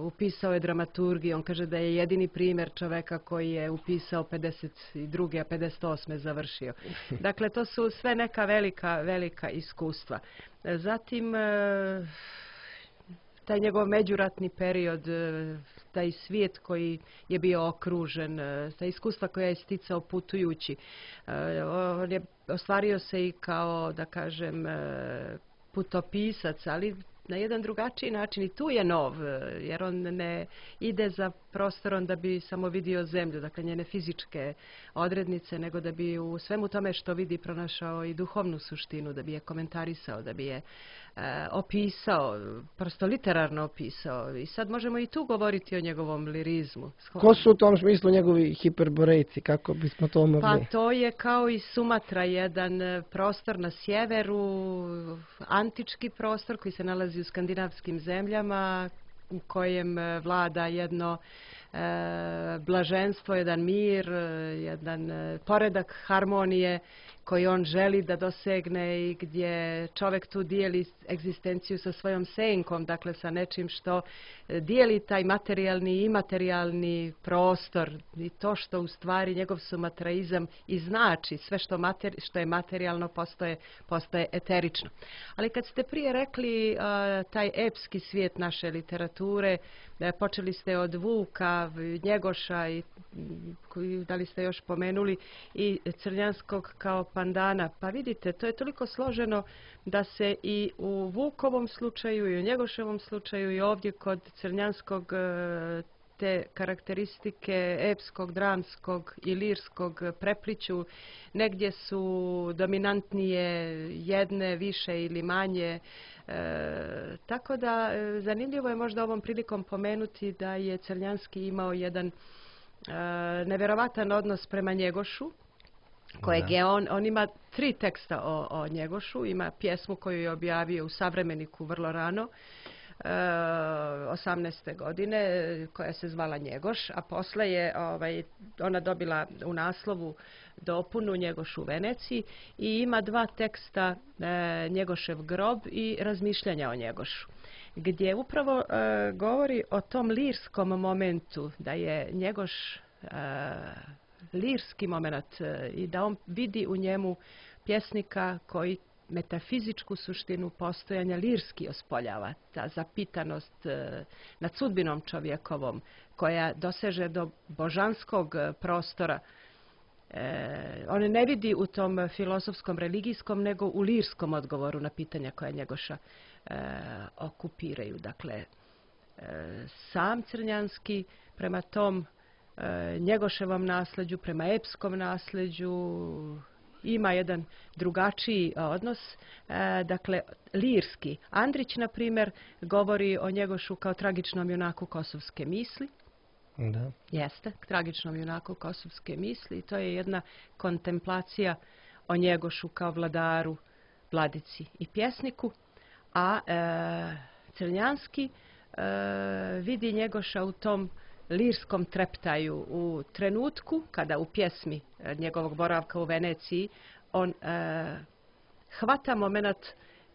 upisao je dramaturgiju. On kaže da je jedini primjer čoveka koji je upisao pedeset druge a pedeset osme završio. Dakle, to su sve neka velika, velika iskustva. Zatim, taj njegov međuratni period, taj svijet koji je bio okružen, ta iskustva koja je sticao putujući. On je ostvario se i kao, da kažem, putopisac, ali na jedan drugačiji način. I tu je nov, jer on ne ide za prostorom da bi samo vidio zemlju, dakle njene fizičke odrednice, nego da bi u svemu tome što vidi pronašao i duhovnu suštinu, da bi je komentarisao, da bi je e, opisao, prosto literarno opisao. I sad možemo i tu govoriti o njegovom lirizmu. Ko su u tom smislu njegovi hiperborejci, kako bismo to mogli? Pa to je kao i Sumatra, jedan prostor na sjeveru, antički prostor koji se nalazi u skandinavskim zemljama, u kojem vlada jedno blaženstvo, jedan mir, jedan poredak harmonije koji on želi da dosegne i gdje čovjek tu dijeli egzistenciju sa svojom senkom, dakle sa nečim što dijeli taj materijalni i imaterijalni prostor i to što u stvari njegov sumatraizam i znači sve što, materi, što je materijalno postaje, postaje eterično. Ali kad ste prije rekli uh, taj epski svijet naše literature, uh, počeli ste od Vuka, Njegoša i koji, da li ste još pomenuli i Crnjanskog kao pandana. Pa vidite, to je toliko složeno da se i u Vukovom slučaju i u Njegoševom slučaju i ovdje kod Crnjanskog te karakteristike epskog, dramskog i lirskog prepliću. Negdje su dominantnije jedne, više ili manje. E, tako da zanimljivo je možda ovom prilikom pomenuti da je Crnjanski imao jedan e, nevjerovatan odnos prema Njegošu, kojeg je on, on ima tri teksta o, o Njegošu, ima pjesmu koju je objavio u Savremeniku vrlo rano, e, osamnaeste godine, koja se zvala Njegoš, a posle je ovaj, ona dobila u naslovu dopunu Njegoš u Veneciji i ima dva teksta e, Njegošev grob i razmišljanja o Njegošu, gdje upravo e, govori o tom lirskom momentu, da je Njegoš e, lirski moment i da on vidi u njemu pjesnika koji metafizičku suštinu postojanja lirski ospoljava. Ta zapitanost e, nad sudbinom čovjekovom koja doseže do božanskog prostora. E, on ne vidi u tom filozofskom, religijskom, nego u lirskom odgovoru na pitanja koja Njegoša e, okupiraju. Dakle, e, sam Crnjanski prema tom Njegoševom nasljeđu, prema epskom nasljeđu ima jedan drugačiji odnos, dakle lirski. Andrić, na primjer, govori o Njegošu kao tragičnom junaku kosovske misli. Da. Jeste, tragičnom junaku kosovske misli. To je jedna kontemplacija o Njegošu kao vladaru, vladici i pjesniku. A e, Crnjanski e, vidi Njegoša u tom lirskom treptaju u trenutku kada u pjesmi njegovog boravka u Veneciji on e, hvata moment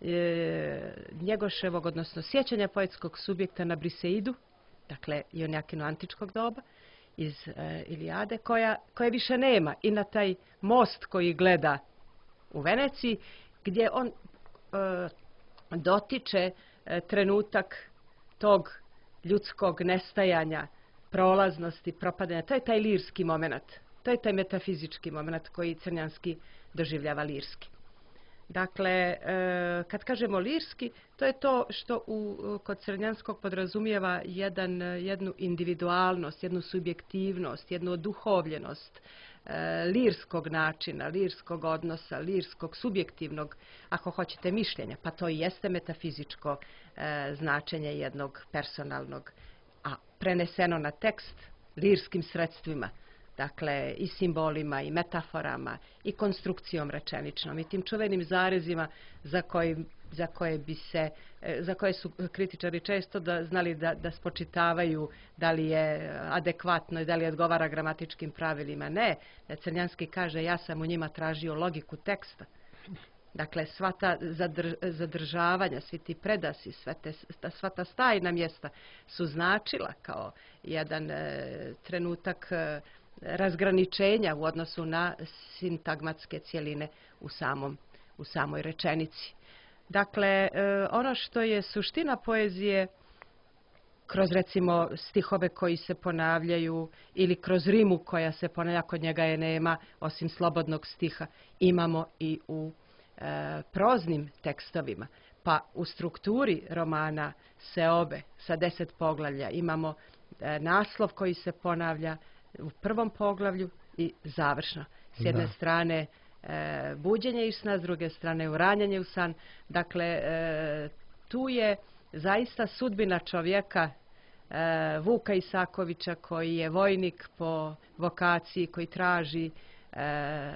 e, Njegoševog, odnosno sjećanja poetskog subjekta na Briseidu, dakle Ionjakino antičkog doba iz e, Ilijade, koja, koje više nema, i na taj most koji gleda u Veneciji gdje on e, dotiče e, trenutak tog ljudskog nestajanja, prolaznosti, propadanja. To je taj lirski moment. To je taj metafizički moment koji Crnjanski doživljava lirski. Dakle, kad kažemo lirski, to je to što u, kod Crnjanskog podrazumijeva jedan, jednu individualnost, jednu subjektivnost, jednu oduhovljenost lirskog načina, lirskog odnosa, lirskog subjektivnog, ako hoćete, mišljenja. Pa to i jeste metafizičko značenje jednog personalnog, a preneseno na tekst lirskim sredstvima, dakle i simbolima i metaforama i konstrukcijom rečeničnom i tim čuvenim zarezima za, koji, za koje bi se, za koje su kritičari često da, znali da, da spočitavaju da li je adekvatno i da li odgovara gramatičkim pravilima. Ne, Crnjanski kaže ja sam u njima tražio logiku teksta. Dakle, sva ta zadr, zadržavanja, svi ti predasi, sve te, sva ta stajna mjesta su značila kao jedan e, trenutak e, razgraničenja u odnosu na sintagmatske cjeline u, samom, u samoj rečenici. Dakle, e, ono što je suština poezije, kroz recimo stihove koji se ponavljaju ili kroz rimu koja se ponavlja, kod njega je nema, osim slobodnog stiha, imamo i u E, proznim tekstovima. Pa u strukturi romana Seobe sa deset poglavlja imamo e, naslov koji se ponavlja u prvom poglavlju i završno. S jedne da. strane e, buđenje iz sna, s druge strane uranjanje u san. Dakle, e, tu je zaista sudbina čovjeka e, Vuka Isakovića, koji je vojnik po vokaciji, koji traži e,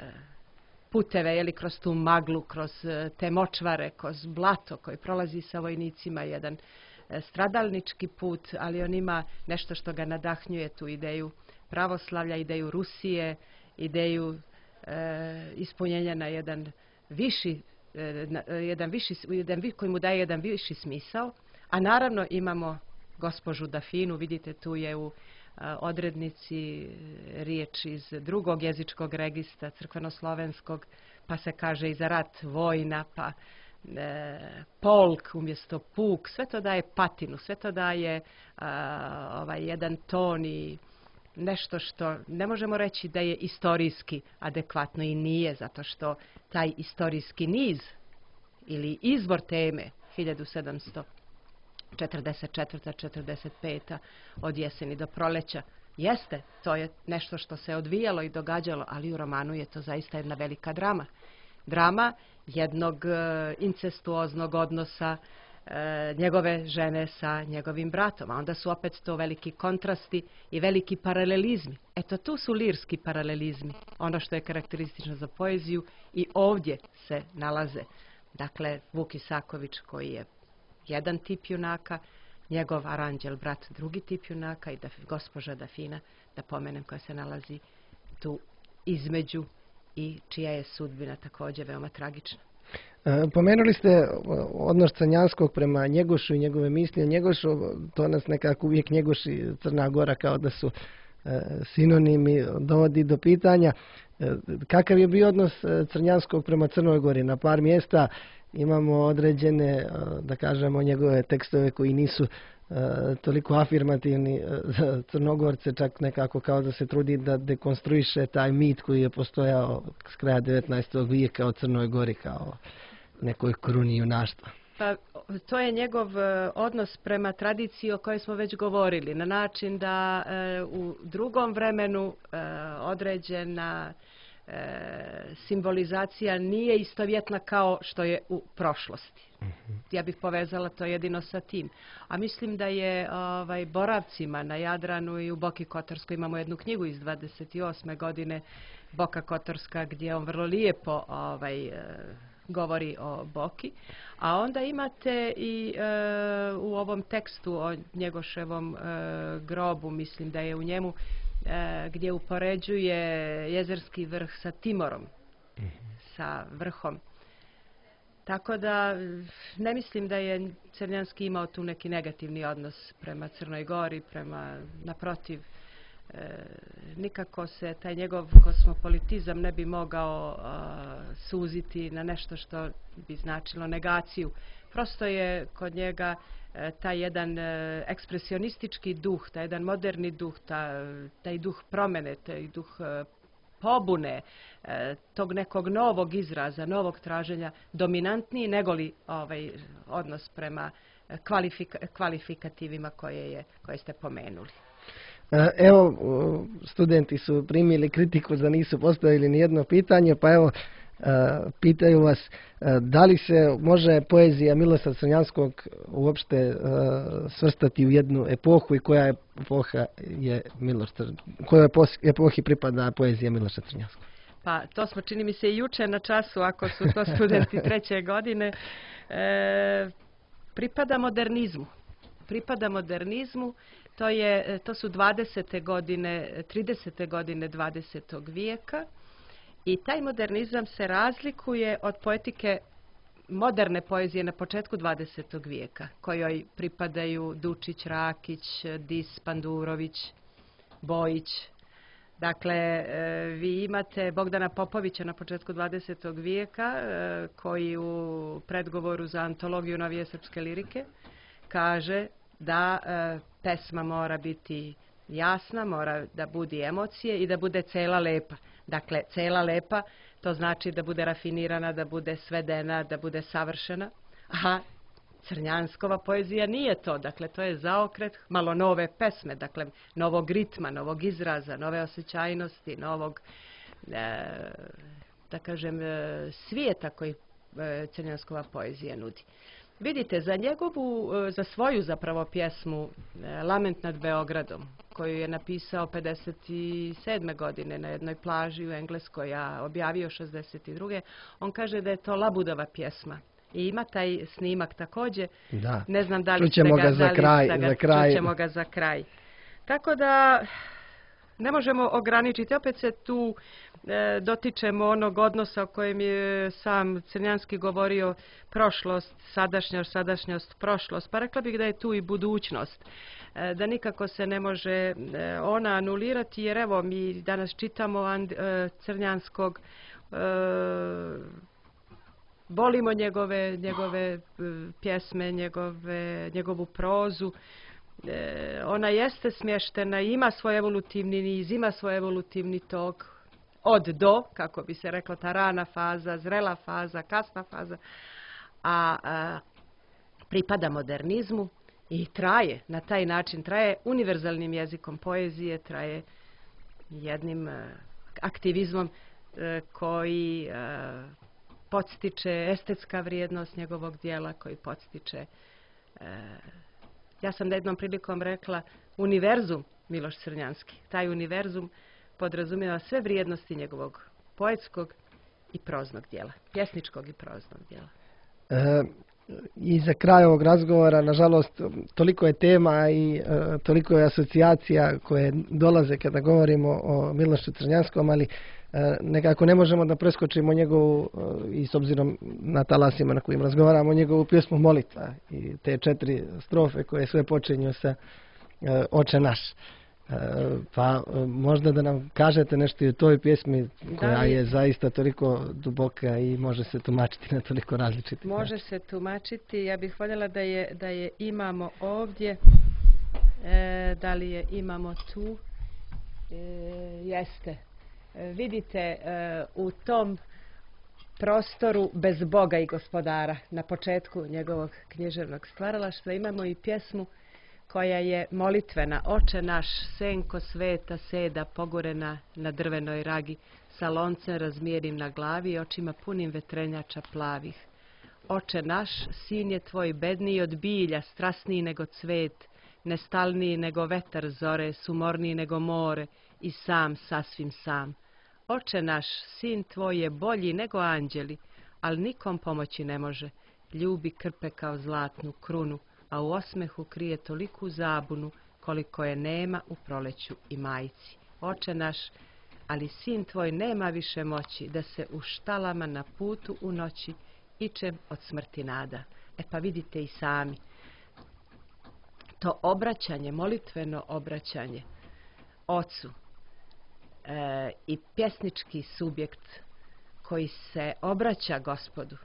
puteve, jeli, kroz tu maglu, kroz te močvare, kroz blato koji prolazi sa vojnicima, jedan stradalnički put, ali on ima nešto što ga nadahnjuje, tu ideju pravoslavlja, ideju Rusije, ideju e, ispunjenja na jedan viši, e, na, jedan viši, jedan, koji mu daje jedan viši smisao, a naravno imamo gospođu Dafinu, vidite tu je u a, odrednici riječ iz drugog jezičkog registra, crkveno-slovenskog, pa se kaže i za rat vojna, pa e, polk umjesto puk, sve to daje patinu, sve to daje a, ovaj jedan ton i nešto što ne možemo reći da je istorijski adekvatno i nije, zato što taj istorijski niz ili izbor teme hiljadu sedamsto četrdeset četvrta četrdeset peta od jeseni do proleća jeste, to je nešto što se odvijalo i događalo, ali u romanu je to zaista jedna velika drama. Drama jednog e, incestuoznog odnosa e, njegove žene sa njegovim bratom, a onda su opet to veliki kontrasti i veliki paralelizmi. Eto, tu su lirski paralelizmi, ono što je karakteristično za poeziju i ovdje se nalaze. Dakle, Vuk Isaković koji je jedan tip junaka, njegov Aranđel brat drugi tip junaka i da, gospođa Dafina, da pomenem, koja se nalazi tu između i čija je sudbina također veoma tragična. E, pomenuli ste odnos Crnjanskog prema Njegošu i njegove misli o Njegošu, to nas nekako uvijek Njegoš i Crna Gora kao da su e, sinonimi, dovodi do pitanja. E, kakav je bio odnos Crnjanskog prema Crnoj Gori? Na par mjesta imamo određene, da kažemo, njegove tekstove koji nisu e, toliko afirmativni za Crnogorce, čak nekako kao da se trudi da dekonstruiše taj mit koji je postojao s kraja devetnaestog vijeka o Crnoj Gori kao nekoj kruni junaštva. Pa to je njegov odnos prema tradiciji o kojoj smo već govorili, na način da e, u drugom vremenu e, određena E, simbolizacija nije istovjetna kao što je u prošlosti. Uh-huh. Ja bih povezala to jedino sa tim. A mislim da je ovaj, boravcima na Jadranu i u Boki Kotorskoj, imamo jednu knjigu iz dvadeset osme godine, Boka Kotorska, gdje on vrlo lijepo ovaj, e, govori o Boki. A onda imate i e, u ovom tekstu o Njegoševom e, grobu, mislim da je u njemu gdje upoređuje Jezerski vrh sa Timorom, mm-hmm. sa vrhom. Tako da ne mislim da je Crnjanski imao tu neki negativni odnos prema Crnoj Gori, prema, naprotiv, e, nikako se taj njegov kosmopolitizam ne bi mogao a, suziti na nešto što bi značilo negaciju. Prosto je kod njega taj jedan ekspresionistički duh, taj jedan moderni duh, taj, taj duh promjene, taj duh pobune, tog nekog novog izraza, novog traženja, dominantniji negoli ovaj odnos prema kvalifika, kvalifikativima koje, je, koje ste pomenuli. Evo, studenti su primili kritiku za nisu postavili ni jedno pitanje, pa evo, Uh, pitaju vas uh, da li se može poezija Miloša Crnjanskog uopšte uh, svrstati u jednu epohu i koja epoha je Miloš kojoj epohi pripada poezija Miloša Crnjanskog? Pa to smo, čini mi se, i juče na času, ako su to studenti treće godine. E, pripada modernizmu. Pripada modernizmu. To, je, to su dvadesete godine, tridesete godine dvadesetog vijeka. I taj modernizam se razlikuje od poetike moderne poezije na početku dvadesetog vijeka, kojoj pripadaju Dučić, Rakić, Dis, Pandurović, Bojić. Dakle, vi imate Bogdana Popovića na početku dvadesetog vijeka, koji u predgovoru za antologiju novije srpske lirike kaže da pesma mora biti jasna, mora da budi emocije i da bude cela lepa. Dakle, cela lepa, to znači da bude rafinirana, da bude svedena, da bude savršena. A Crnjanskova poezija nije to. Dakle, to je zaokret malo nove pesme, dakle, novog ritma, novog izraza, nove osjećajnosti, novog, e, da kažem, svijeta koji e, Crnjanskova poezija nudi. Vidite, za njegovu, za svoju zapravo pjesmu Lament nad Beogradom, koju je napisao pedeset sedme godine na jednoj plaži u Engleskoj, a objavio šezdeset druge on kaže da je to labudova pjesma. I ima taj snimak također. Da. Ne znam da li Čućemo ste ga, ga za da li kraj, ste ga, za kraj. čućemo ga za kraj. Tako da ne možemo ograničiti. Opet se tu e, dotičemo onog odnosa o kojem je sam Crnjanski govorio, prošlost, sadašnjost, sadašnjost, prošlost. Pa rekla bih da je tu i budućnost. E, da nikako se ne može e, ona anulirati, jer evo mi danas čitamo And, e, Crnjanskog, e, volimo njegove, njegove pjesme, njegove, njegovu prozu. E, ona jeste smještena, ima svoj evolutivni niz, ima svoj evolutivni tok od do, kako bi se reklo, ta rana faza, zrela faza, kasna faza, a, a pripada modernizmu i traje, na taj način traje univerzalnim jezikom poezije, traje jednim a, aktivizmom a, koji a, podstiče estetska vrijednost njegovog dijela, koji podstiče a, ja sam jednom prilikom rekla univerzum Miloš Crnjanski. Taj univerzum podrazumijeva sve vrijednosti njegovog poetskog i proznog dijela, pjesničkog i proznog dijela. E, I za kraj ovog razgovora, nažalost, toliko je tema i e, toliko je asocijacija koje dolaze kada govorimo o Milošu Crnjanskom, ali e, nekako ne možemo da preskočimo njegovu, e, i s obzirom na talasima na kojim razgovaramo, njegovu pjesmu Molitva i te četiri strofe koje sve počinju sa e, Oče naš. Pa možda da nam kažete nešto i o toj pjesmi koja je zaista toliko duboka i može se tumačiti na toliko različitih načina. Može se tumačiti. Ja bih voljela da je, da je imamo ovdje. E, da li je imamo tu? E, jeste. E, vidite e, u tom prostoru bez Boga i gospodara na početku njegovog književnog stvaralaštva imamo i pjesmu koja je molitvena. Oče naš, senko sveta seda pogorena na drvenoj ragi, sa loncem razmjerim na glavi i očima punim vetrenjača plavih. Oče naš, sin je tvoj bedniji od bilja, strasniji nego cvet, nestalniji nego vetar zore, sumorniji nego more i sam, sasvim sam. Oče naš, sin tvoj je bolji nego anđeli, ali nikom pomoći ne može. Ljubi krpe kao zlatnu krunu, a u osmehu krije toliku zabunu koliko je nema u proleću i majci. Oče naš, ali sin tvoj nema više moći da se u štalama na putu u noći ičem od smrti nada. E pa vidite i sami, to obraćanje, molitveno obraćanje ocu e, i pjesnički subjekt koji se obraća Gospodu,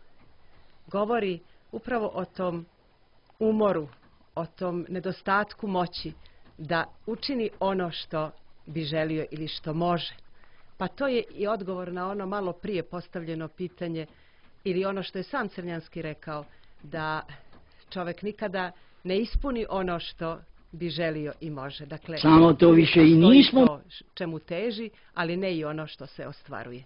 govori upravo o tom umoru, o tom nedostatku moći da učini ono što bi želio ili što može. Pa to je i odgovor na ono malo prije postavljeno pitanje ili ono što je sam Crnjanski rekao, da čovjek nikada ne ispuni ono što bi želio i može. Dakle, samo to više i nismo. To čemu teži, ali ne i ono što se ostvaruje.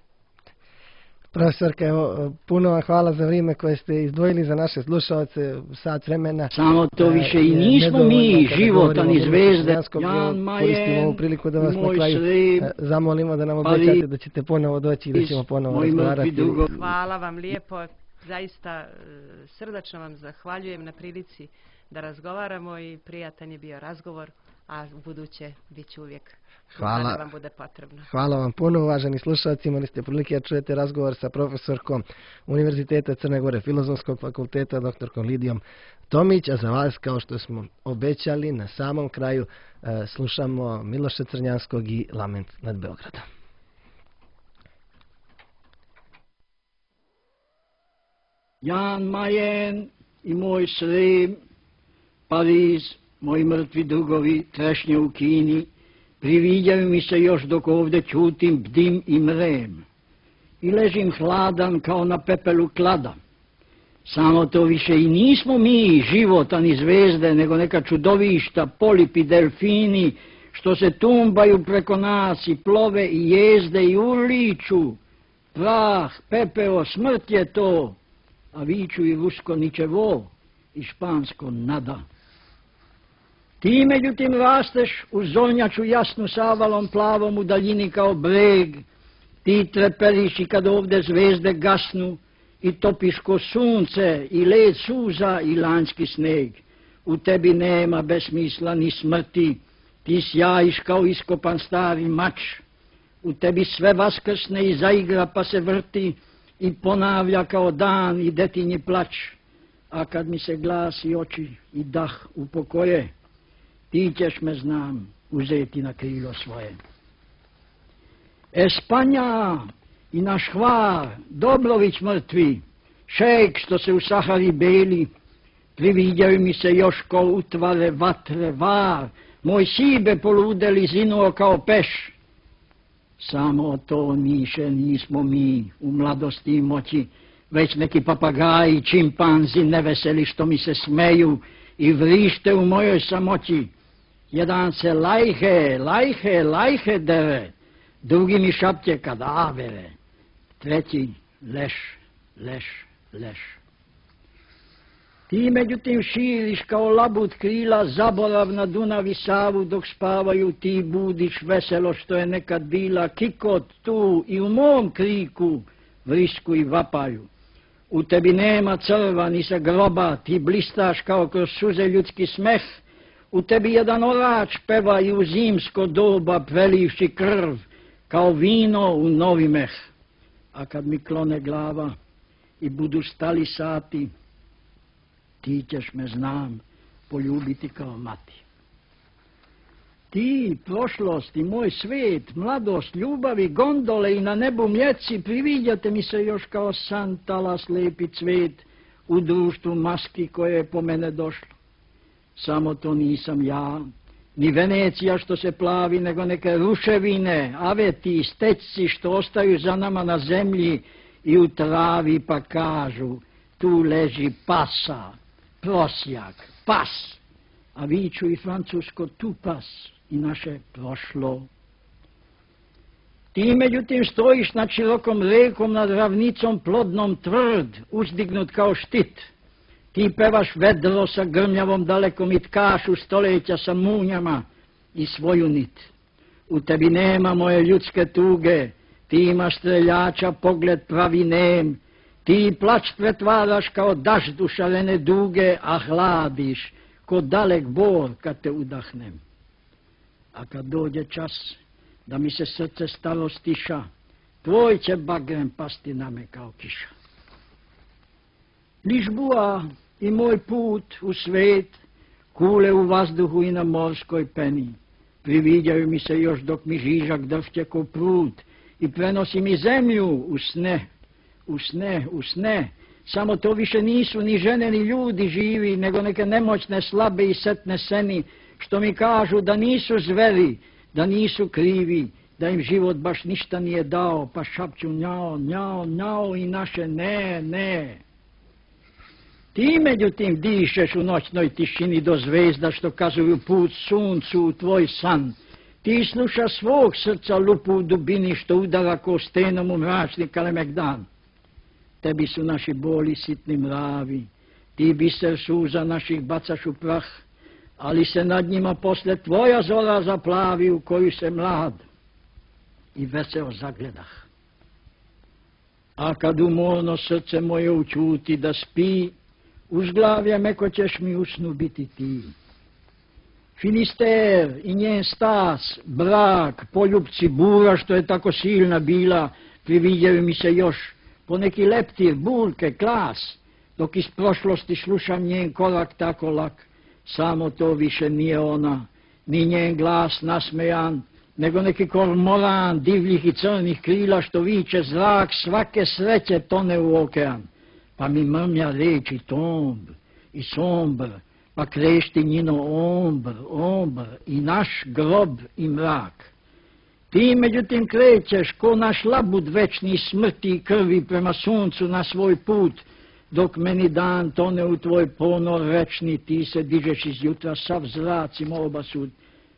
Profesorka, evo, puno vam hvala za vrijeme koje ste izdvojili za naše slušalce, sat vremena. Samo to više i nismo mi, života ni zvezde. Jan Majen, koristimo ovu priliku da vas na kraju srib, zamolimo da nam obećate da ćete ponovo doći i da ćemo ponovo razgovarati. Hvala vam lijepo, zaista srdačno vam zahvaljujem na prilici da razgovaramo i prijatan je bio razgovor, a u buduće bit ću uvijek. Hvala. Da vam bude potrebno. Hvala vam puno, uvaženi slušalci. Imali ste prilike da čujete razgovor sa profesorkom Univerziteta Crne Gore, Filozofskog fakulteta, doktorkom Lidijom Tomić, a za vas, kao što smo obećali, na samom kraju e, slušamo Miloša Crnjanskog i Lament nad Beogradom. Jan Majen i moj srem, Pariz, moji mrtvi drugovi, trešnje u Kini, priviđaju mi se još dok ovdje čutim, bdim i mrem. I ležim hladan kao na pepelu klada. Samo to više i nismo mi, života ni zvezde, nego neka čudovišta, polipi, delfini, što se tumbaju preko nas i plove i jezde i urliču. Prah, pepeo, smrt je to, a viču i rusko ničevo i špansko nada. Ti međutim rasteš u zornjaču jasnu savalom plavom u daljini kao breg. Ti treperiš i kad ovdje zvezde gasnu i topiš ko sunce, i led suza, i lanjski sneg. U tebi nema besmisla ni smrti, ti sjajiš kao iskopan stari mač. U tebi sve vaskrsne i zaigra pa se vrti i ponavlja kao dan i detinji plać. A kad mi se glas i oči i dah upokoje, ti ćeš me, znam, uzeti na krilo svoje. Espanja i naš Hvar, Dobrović mrtvi, šejk što se u Sahari beli, priviđaju mi se još ko utvare vatre var, moj sibe poludeli zinuo kao peš. Samo to niše nismo mi u mladosti i moći, već neki papagaji, čimpanzi neveseli što mi se smeju i vrište u mojoj samoći. Jedan se lajhe, lajhe, lajhe dere, drugi mi šapće kadavere, treći leš, leš, leš. Ti međutim širiš kao labud krila zaborav na Dunav i Savu, dok spavaju ti budiš veselo što je nekad bila kikot tu i u mom kriku vrisku i vapaju. U tebi nema crva ni sa groba, ti blistaš kao kroz suze ljudski smeh. U tebi jedan orač peva i u zimsko doba prelivši krv, kao vino u novi meh. A kad mi klone glava i budu stali sati, ti ćeš me, znam, poljubiti kao mati. Ti, prošlost i moj svet, mladost, ljubavi, gondole i na nebu mjeci, priviđate mi se još kao san talas lepi cvet u društvu maski koje je po mene došlo. Samo to nisam ja, ni Venecija što se plavi, nego neke ruševine, aveti, stečci što ostaju za nama na zemlji i u travi pa kažu, tu leži pasa, prosjak, pas, a viču i francusko tu pas i naše prošlo. Ti međutim stojiš nad širokom rekom, nad ravnicom plodnom tvrd, uzdignut kao štit. Ti pevaš vedro sa grmljavom dalekom i tkaš u stoljeća sa munjama i svoju nit. U tebi nema moje ljudske tuge, ti imaš streljača pogled pravi nem, ti plać pretvaraš kao dažd u šarene duge, a hladiš ko dalek bor kad te udahnem. A kad dođe čas da mi se srce staro stiša, tvoj će bagrem pasti na me kao kiša. Ližbua i moj put u svet, kule u vazduhu i na morskoj peni, priviđaju mi se još dok mi žižak drhće ko prut i prenosi mi zemlju u sne, u sne, u sne. Samo to više nisu ni žene ni ljudi živi, nego neke nemoćne, slabe i setne seni, što mi kažu da nisu zveri, da nisu krivi, da im život baš ništa nije dao, pa šapću njao, njao, njao i naše ne, ne. Ti međutim dišeš u noćnoj tišini do zvezda što kazuju put suncu u tvoj san. Ti slušaš svog srca lupu u dubini što udara ko stenom u mračni kalemegdan. Tebi su naši boli sitni mravi, ti biser suza naših bacaš u prah, ali se nad njima posle tvoja zora zaplavi u koju se mlad i veseo zagledah. A kad umorno srce moje učuti da spi, uz glavlje meko ćeš mi usnu biti ti. Finister i njen stas, brak, poljubci bura što je tako silna bila, priviđaju mi se još po neki leptir, bulke, klas, dok iz prošlosti slušam njen korak tako lak. Samo to više nije ona, ni njen glas nasmejan, nego neki kormoran divljih i crnih krila što viče zrak svake sreće tone u okean. Pa mi mrmlja reči tomb i sombr, pa krešti njino ombr, ombr i naš grob i mrak. Ti međutim krećeš ko naš labud večni smrti i krvi prema suncu na svoj put, dok meni dan tone u tvoj ponor večni, ti se dižeš iz jutra sav zracim obasud.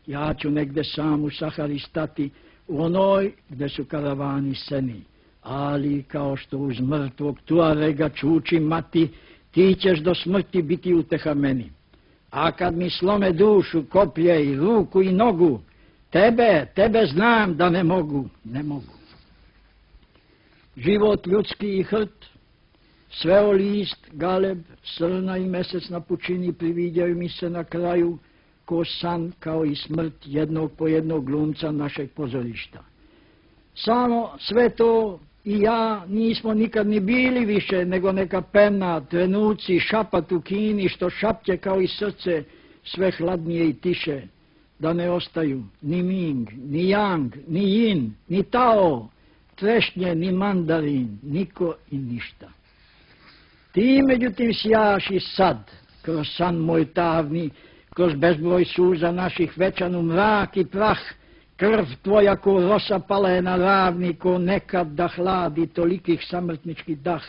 Ja ću negde sam u Sahari stati, u onoj gde su karavani seni. Ali kao što uz mrtvog Tuarega čuči mati, ti ćeš do smrti biti uteha meni. A kad mi slome dušu, koplje i ruku i nogu, tebe, tebe znam da ne mogu, ne mogu. Život ljudski i hrt, Sveo list, galeb, srna i mesec na pučini prividjaju mi se na kraju ko san, kao i smrt jednog po jednog glumca našeg pozorišta. Samo sve to i ja nismo nikad ni bili više nego neka pena, trenuci, šapat u kini, što šapće kao i srce, sve hladnije i tiše, da ne ostaju ni Ming, ni Yang, ni Yin, ni Tao, trešnje, ni mandarin, niko i ništa. Ti međutim sjaš i sad, kroz san moj tavni, kroz bezbroj suza naših večanu mrak i prah, krv tvoja ko rosa pala je na ravni, ko nekad da hladi tolikih samrtničkih dah.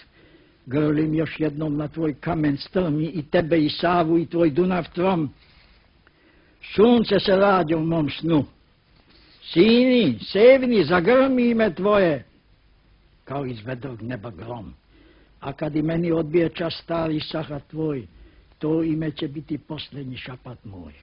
Grlim još jednom na tvoj kamen strmi i tebe i Savu i tvoj Dunav trom. Sunce se rađa u mom snu. Sini, sevni, zagrmi ime tvoje, kao iz vedrog neba grom. A kad i meni odbije čas stari sahat tvoj, to ime će biti posljednji šapat moj.